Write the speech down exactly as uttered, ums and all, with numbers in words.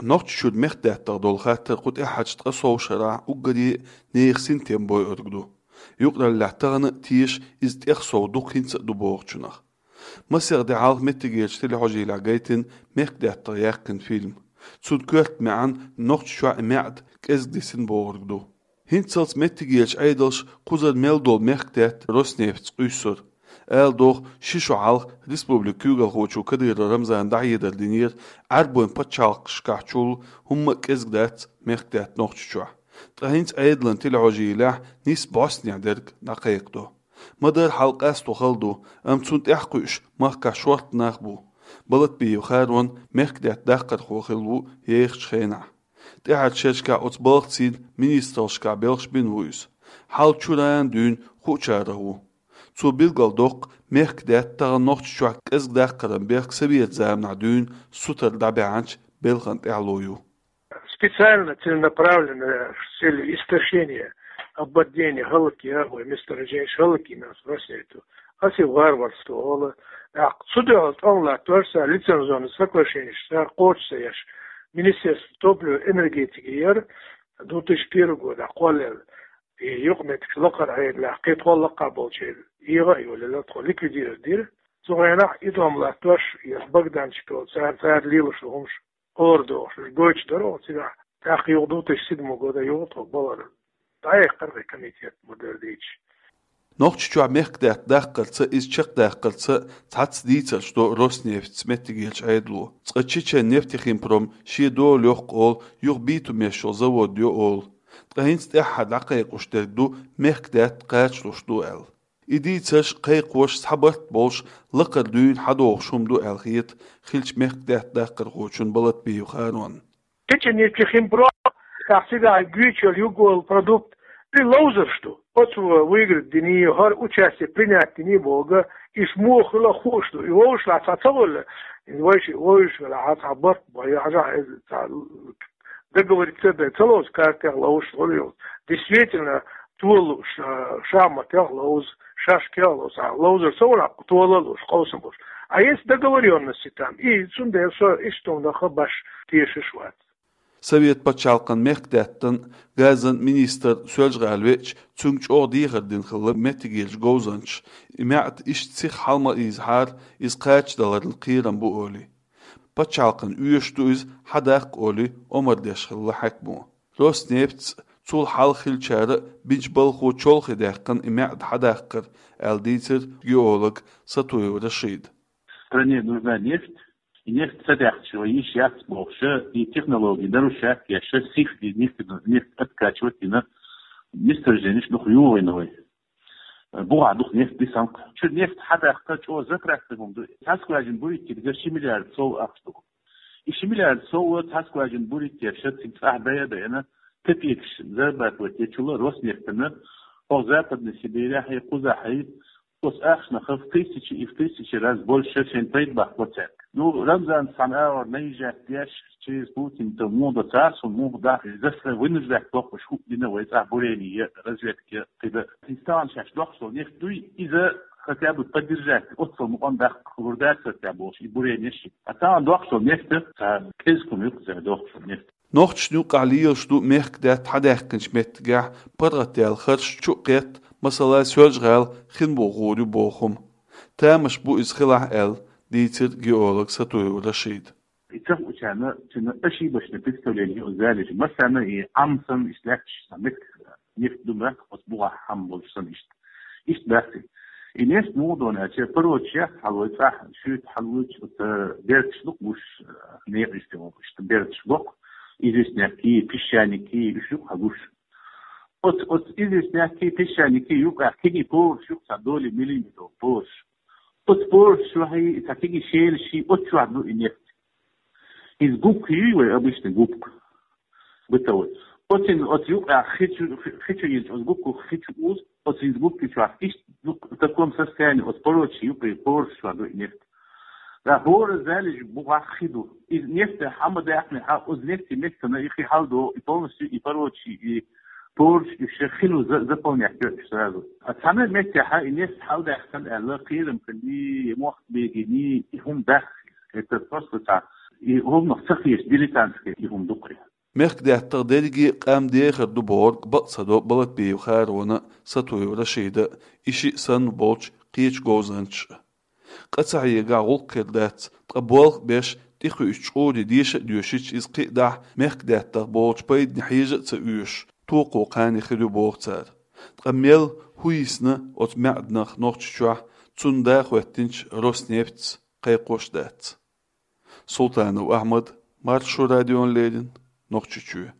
Нохчийчуьра мехкдаьттах долу хаттар кху тӀаьхьарчу ткъе сов шарахь уггаре а нехан синтем бойург ду. Юкъараллехь тахана а теша иза тӀех сов дукха хӀинца а ду бохучунах. Масех де хьалха меттигерчу телехьожийлехь гайтина мехкдаьттах яьккхина фильм. Цуьнан коьрта маьӀна Нохчийчохь и маьӀда кӀезиг дисина бохург ду. ХӀинццалц меттигерчу Ӏедалша кхузара мел долу мехкдаьтта Роснефтьца къуьйсура. Ала догӀу, ши шо хьалха республикан куьйгалхочо Кадыров Рамзана дӀахьедар динера, Ӏаьрбойн пачхьалкхашкахь чул хӀумма а кӀезиг дац мехкдаьтта Нохчийчохь. Ткъа хӀинца Ӏедалан телехьожийлехь нийсса бӀостанехьа дерг дӀакхайкхадо. Ма-дарра хьал къасто хала ду, амма цунна тӀаьхьакхуьуш махкахь шортта нах бу. Балатбиев Харон мехкдаьтта даккхархо хилла ву ехачу хенахь. ТӀаьхьарчу шерашкахь оцу балхацийн министраллашкахь белхаш бина ву иза. Хьал чуьра а дуьйна хуучарах ву. Цо билгалдоккху мехкдаьтта тахана Нохчийчохь кӀезиг даккхаран бехк советан заманахь дуьйна сутара дӀабаьхьначу белхан тӀаьхьало ю. Специально, целенаправленно, с целью истощения, ободнения, хӀаллакъян вай месторожденеш, хӀаллакъян нас Роснефть. Ас и варварство олу. ТӀаккха цу дуьхьал тӀом латтош цара лицензионный соглашенеш цара кхочуш ца еш. Министерство топлива и энергетики яра две тысячи первый года кхоллаелла. И юкъаметтигаш лакхара Ӏедалехь, кхин тхо лакха болчеран егӀа а йолаелла, тхо ликвидировать дира. Цу хенахь и тӀом латтош, я Богданчик олу, цара, цара лелош ду хӀумаш, хӀора дохуш, уьш гойтуш дара оха цигахь. ТӀаккха юха две тысячи седьмой года юха тхо балар дӀаэккхара вай комитет, ма-дарра дийцича. Нохчийчохь мехкдаьтта даккхарца, иза чекхдаккхарца цхьацца дийцарш до Роснефтьца меттигерчу Ӏедало. Цкъа Чечен нефтехимпром шен дола йоккху олу, юха битумеш йолу завод йо олу. Ткъа хӀинца тӀаьххьара дӀакхайкхош дерг ду, мехкдаьтта кхачалуш ду аьлла. И дийцарш кхайкхош цхьа барт болуш, лакхара дуьйна хьадогӀуш хӀума ду аьлла хета хиллачу мехкдаьтта даккхархочунна Балатбиев Харонна. Чечен нефтехимпром, тӀаккха цигахь гойтуш йолу юкъа йолу продукт, и ловзарш ду. Оцу выиграть дина, хӀара участие принять дина боху, уьш муха хила хууш ду. И вовшашлахь цхьа ца волла, вайша вовшашлахь цхьа барт бан, я хьажахь, иза цхьа договориться дан ца лоцу, картех ловзуш хуьлу. Действительно, тола лууш, а, шахматех ловза, шашкех ловза, а, ловзар ца вара, тола лууш, къовсам болуш. А есть договорённости там, и цундела со иштта хӀуманах баш тешаш вац. Совет пачхьалкхан мехкдаьттан, газан министр Соьлжа-ГӀала веача, цуьнга чӀогӀа дехар дина хилла меттигерчу говзанчаша, и маьӀда иштта сиха хьала ма ийзахьара, иза кхачадаларна кхерам бу олий. Пачхьалкхана оьшуш ду иза, хьадаккха олий, омра деш хилла хьаькамо. Роснефтьца, цул хьалха хиллачара а бинчу балхо чолхе даьккхина и маьӀда хьадаккхар, аьлла дийцира геолог Сатуев Рашида. Стране нужна нефть, и нефть ца даьккхича вай йиш яц бохуш, и технологии нарушать еш, сиха и нефть, нефть откачивать дина, месторожденеш дукха йохийна вай. БухӀа дукха нефть дисанкх. Чу нефть хьадаккха чӀогӀа затрат дан хӀума ду. Цхьа скважина бурить дерг ши миллиард сов ахча ду. И ши миллиард сов цхьа скважина бурить деш, цига цӀахь бая а баьхкина, копейкаш зарабатывать дечул Роснефтана, хӀокху Западной Сибирехь, кхузахь, оцу ахчанах в тысячи и в тысячи раз больше шайн пайда бахка цаьрга. Ну, Рамзанца цхьана агӀор наезжать деш, через Путина муха до царца, муха даха, из заставить, вынуждать доккхуш хӀуъа дина вай цӀахь бурение, разведка, кхидӀа. Иза тахана шаьш доккхуш долу нефть дуй, иза хотя бы поддержать, оццул мукъам даккха хӀума дацара те бохуш, и бурение ши. А тахана доккхуш долу нефть, цхьа кӀезиг хӀума ю-кх иза доккхуш долу нефть. Нохчашна юкъахь лелаш ду мехкдаьтта хьадаьккхинчу меттигехь паргӀатдаьлла харш чу а кхетта, масала, Соьлжа-ГӀала хин бохур ю боху хӀума. Тамаш бу иза хилахь аьлла, дийцира геолог Сатуев Рашида. И ца хуучарна, цуьнан ошибочное представление ю залежи. Масала, и Ӏам санна иштта лаьтташ сан меттиг нефть ду моьтту, оцу бухахь Ӏам болуш санна иштта. Иштта дац и. И нефть муха ду аьлча, порочий яц хьалой цӀахь, шуьйта хьалуьйтуш, оцу берташ ду-кх гуш, э, некъа иштта, иштта берташ боккху, известняки, песчаники, уьш ю-кх хьагуш. Оцу, оцу известняки, песчаники юкъахь кегий пораш ю-кх, цхьа долий миллиметр пораш. Оцу пораш чохь и цхьа кегий шелаш, оцу чохь ду и нефть. Иза губка юй вай, обычный губка. Бытовой. Оцин, оцу юкъахь хи чу, хи чу йинчу, оцу губка хи чу уз, оцин губки чохь иштта ду-кх в таком состоянии, оцу порочий юкъе пораш чохь ду и нефть. Да, хӀора залежи бухахь хи ду. Иза нефть хьа ма даьккхинехь, оцу нефть меттана и хи хьалдо, и полностью и порочий, и пораш, и ши хи ду за-, заполнять йо уьш сразу. А цхьана меттехь и нефть хьалдаьккхина аьлла, кхерам хилли, мохк бегийни, и хӀума дац. Это просто так. И гӀулакх ца хеташ, дилетантский и хӀума ду-кх. Мехкдаьттах дерриге къам дехар ду бохург бакъ ца до Балатбиев Харона, Сатуев Рашида, и шиъ санна болчу кхечу говзанчаша. Къа ца хьегахь, гӀуллакх хир дац, ткъа болх беш, тӀекхуьучу чкъуре деша а доьшуьйтуш, иза кхин а дахь, мехкдаьттах болчу пайдане хьежа а ца оьшуш, токхо кхане хир ю боху цара. Ткъа мел, хӀун йисна оцу маьӀданах Нохчийчохь, цунна да хоьттинчу Роснефтьца кхайкхош дац. Султанов Ахьмад, Маршо радиона леррина, Нохчийчоь.